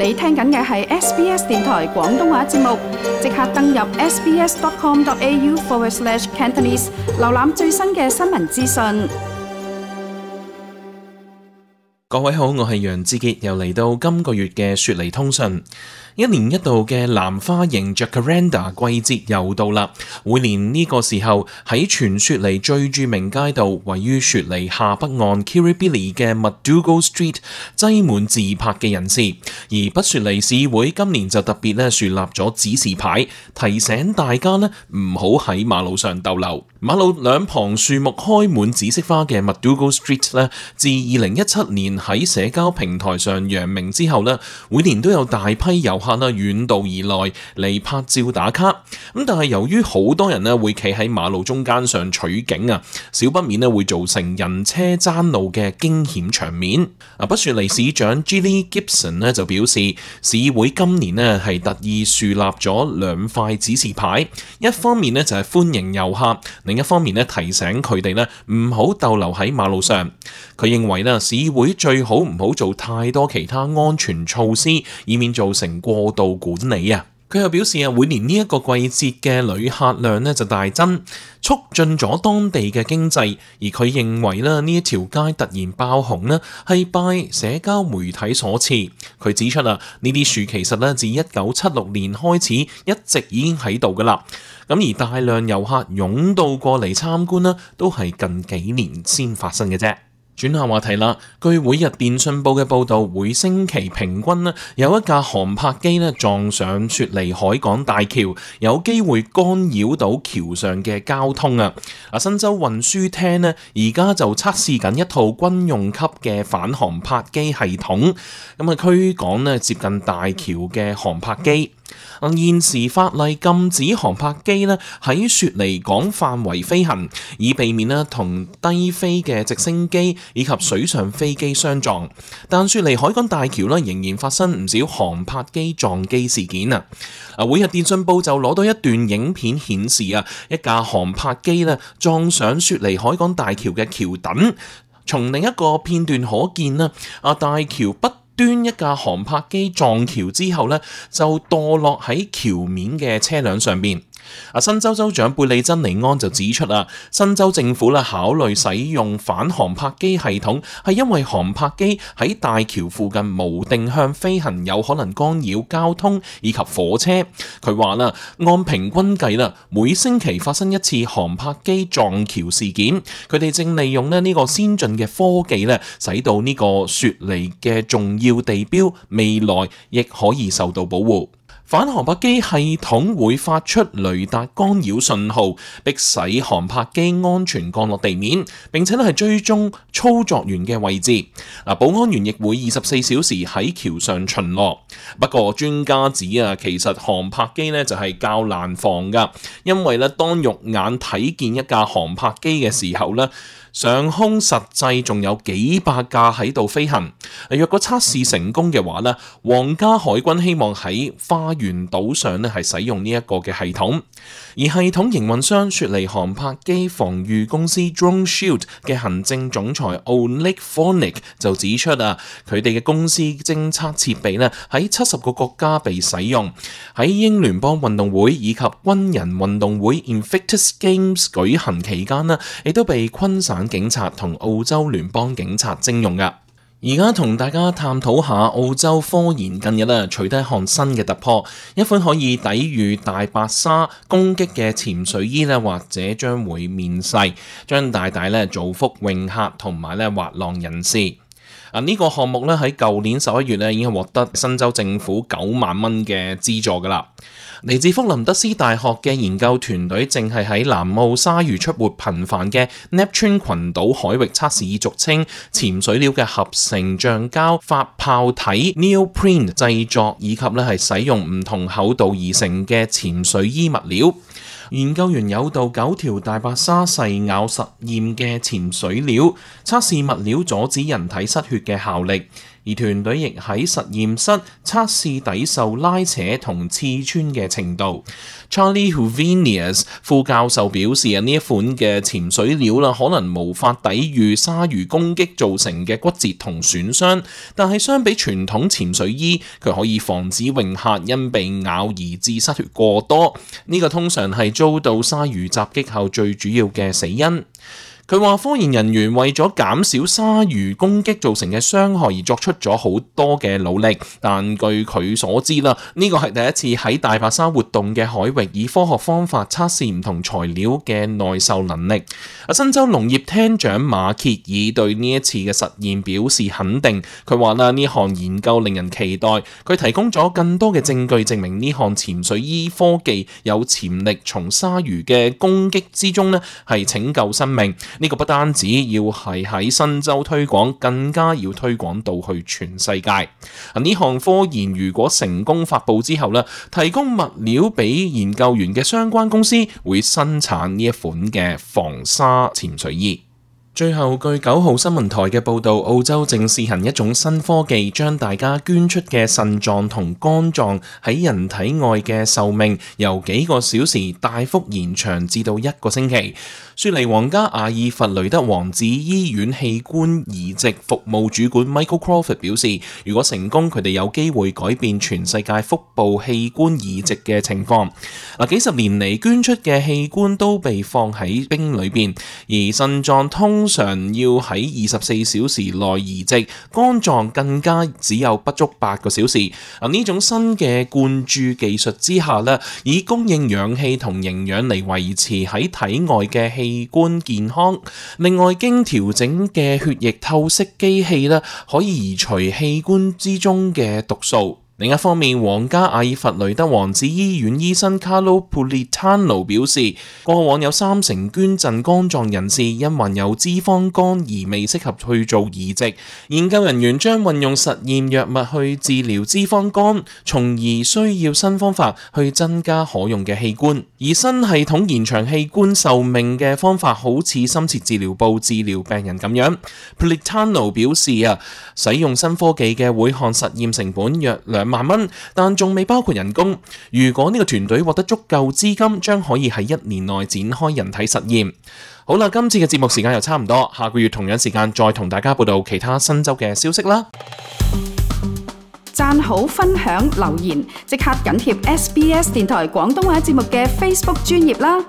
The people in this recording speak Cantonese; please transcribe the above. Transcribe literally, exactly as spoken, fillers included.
你聽緊嘅係 S B S 電台廣東話節目，即刻登入 sbs.com.au forward slash Cantonese， 瀏覽最新嘅新聞資訊。各位好，我係楊志傑，又嚟到今個月嘅雪梨通訊。一年一度嘅藍花型 Jacaranda 季節又到啦。每年呢個時候喺全雪梨最著名街道，位於雪梨下北岸 Kirribilli 嘅 MacDougall Street 擠滿自拍嘅人士。而北雪梨市會今年就特別咧樹立咗指示牌，提醒大家咧唔好喺馬路上逗留。馬路兩旁樹木開滿紫色花嘅 MacDougall Street 咧，自二零一七年喺社交平台上揚名之後咧，每年都有大批遊客啦遠道而來嚟拍照打卡。咁但係由於好多人咧會企喺馬路中間上取景啊，少不免咧會造成人車爭路嘅驚險場面。啊，北雪梨市長 Gilly Gibson 咧就表示，市會今年咧係特意樹立咗兩塊指示牌，一方面咧就係歡迎遊客，另一方面咧提醒佢哋咧唔好逗留喺馬路上。佢認為咧市會最好唔好做太多其他安全措施，以免造成過度管理啊。佢又表示啊，每年呢一個季節嘅旅客量咧就大增，促進咗當地嘅經濟。而佢認為咧呢一條街突然爆紅咧係拜社交媒體所賜。佢指出啊，呢啲樹其實咧自一九七六年開始一直已經喺度噶啦。咁而大量遊客湧到過嚟參觀啦，都係近幾年先發生嘅啫。轉下話題啦，據每日電訊報嘅報導，每星期平均咧有一架航拍機咧撞上雪梨海港大橋，有機會干擾到橋上嘅交通啊！啊，新州運輸廳咧而家就測試緊一套軍用級嘅反航拍機系統，咁啊驅趕咧接近大橋嘅航拍機。現時法例禁止航拍機咧喺雪梨港範圍飛行，以避免咧同低飛嘅直升機以及水上飛機相撞。但雪梨海港大橋咧仍然發生唔少航拍機撞機事件啊！啊，每日電訊報就攞到一段影片顯示啊，一架航拍機咧撞上雪梨海港大橋嘅橋墩。從另一個片段可見啦，啊大橋不端一架航拍機撞橋之後咧，就墮落喺橋面嘅車輛上邊。啊，新州州長貝利珍尼安就指出啊，新州政府咧考慮使用反航拍機系統，係因為航拍機喺大橋附近無定向飛行，有可能干擾交通以及火車。佢話啦，按平均計啦，每星期發生一次航拍機撞橋事件。佢哋正利用咧呢個先進嘅科技咧，使到呢個雪梨嘅重要地標未來亦可以受到保護。反航拍機系統會發出雷達干擾信號，迫使航拍機安全降落地面，並且咧係追蹤操作員嘅位置。嗱，保安員亦會二十四小時喺橋上巡邏。不過專家指啊，其實航拍機咧就係較難防噶，因為咧當肉眼睇見一架航拍機嘅時候咧，上空實際仲有幾百架喺度飛行。若果測試成功嘅話咧，皇家海軍希望喺花園島上咧係使用呢一個嘅系統。而系統營運商雪梨航拍機防禦公司 Drone Shield 嘅行政總裁 Oleg Fornick 就指出啊，佢哋嘅公司偵測設備咧喺七十個國家被使用，喺英聯邦運動會以及軍人運動會 Invictus Games 舉行期間咧，亦都被昆省警察同澳洲聯邦警察徵用噶。而家同大家探討下澳洲科研近日咧取得一項新嘅突破，一款可以抵禦大白鯊攻擊嘅潛水衣咧，或者將會面世，將大大咧造福泳客同埋咧滑浪人士。啊！呢個項目咧喺舊年十一月咧已經獲得新州政府九萬蚊嘅資助噶啦。嚟自福林德斯大學嘅研究團隊正係喺南澳鯊魚出沒頻繁嘅 Neptune 群島海域測試以俗稱潛水料嘅合成橡膠發泡體 Neoprene 製作，以及咧係使用唔同厚度而成嘅潛水衣物料。研究員誘導九條大白鯊細咬實驗嘅潛水料，測試物料阻止人體失血嘅效力。而團隊亦喺實驗室測試抵受拉扯同刺穿嘅程度。Charlie Huvenius 副教授表示啊，呢一款嘅潛水料啦，可能無法抵禦鯊魚攻擊造成嘅骨折同損傷，但係相比傳統潛水衣，佢可以防止泳客因被咬而致失血過多。呢個通常係遭到鯊魚襲擊後最主要嘅死因。佢話科研人員為咗減少鯊魚攻擊造成嘅傷害而作出咗好多嘅努力，但據佢所知啦，呢個係第一次喺大白鯊活動嘅海域以科學方法測試唔同材料嘅耐受能力。新州農業廳長馬歇爾對呢一次嘅實驗表示肯定，佢話啦，呢項研究令人期待，佢提供咗更多嘅證據證明呢項潛水衣科技有潛力從鯊魚嘅攻擊之中呢係拯救生命。呢個不單止要係喺新州推廣，更加要推廣到去全世界。呢項科研如果成功發佈之後呢，提供物料俾研究員嘅相關公司會生產呢一款嘅防鯊潛水衣。最後，據九號新聞台嘅報導，澳洲正試行一種新科技，將大家捐出嘅腎臟同肝臟喺人體外嘅壽命由幾個小時大幅延長至到一個星期。雪梨皇家阿爾弗雷德王子醫院器官移植服務主管 Michael Crawford 表示，如果成功，佢哋有機會改變全世界腹部器官移植嘅情況。嗱，幾十年嚟捐出嘅器官都被放喺冰裏邊，而腎臟通常要喺二十四小時內移植，肝臟更加只有不足八個小時。啊，呢種新嘅灌注技術之下咧，以供應氧氣同營養嚟維持喺體外嘅器官健康。另外，經調整嘅血液透析機器咧，可以移除器官之中嘅毒素。另一方面，皇家阿爾弗雷德王子醫院醫生 Carlo Politano 表示，過往有三成捐贈肝臟人士因患有脂肪肝而未適合去做移植。研究人員將運用實驗藥物去治療脂肪肝，從而需要新方法去增加可用嘅器官。而新系統延長器官壽命嘅方法好似深切治療部治療病人咁樣。Politano 表示啊，使用新科技嘅每項實驗成本約兩萬蚊，但仲未包括人工。如果呢個團隊獲得足夠資金，將可以喺一年內展開人體實驗。好啦，今次嘅節目時間又差唔多，下個月同樣時間再同大家報道其他新州嘅消息啦。讚好、分享、留言，即刻緊貼 S B S 電台廣東話節目嘅 Facebook 專頁啦！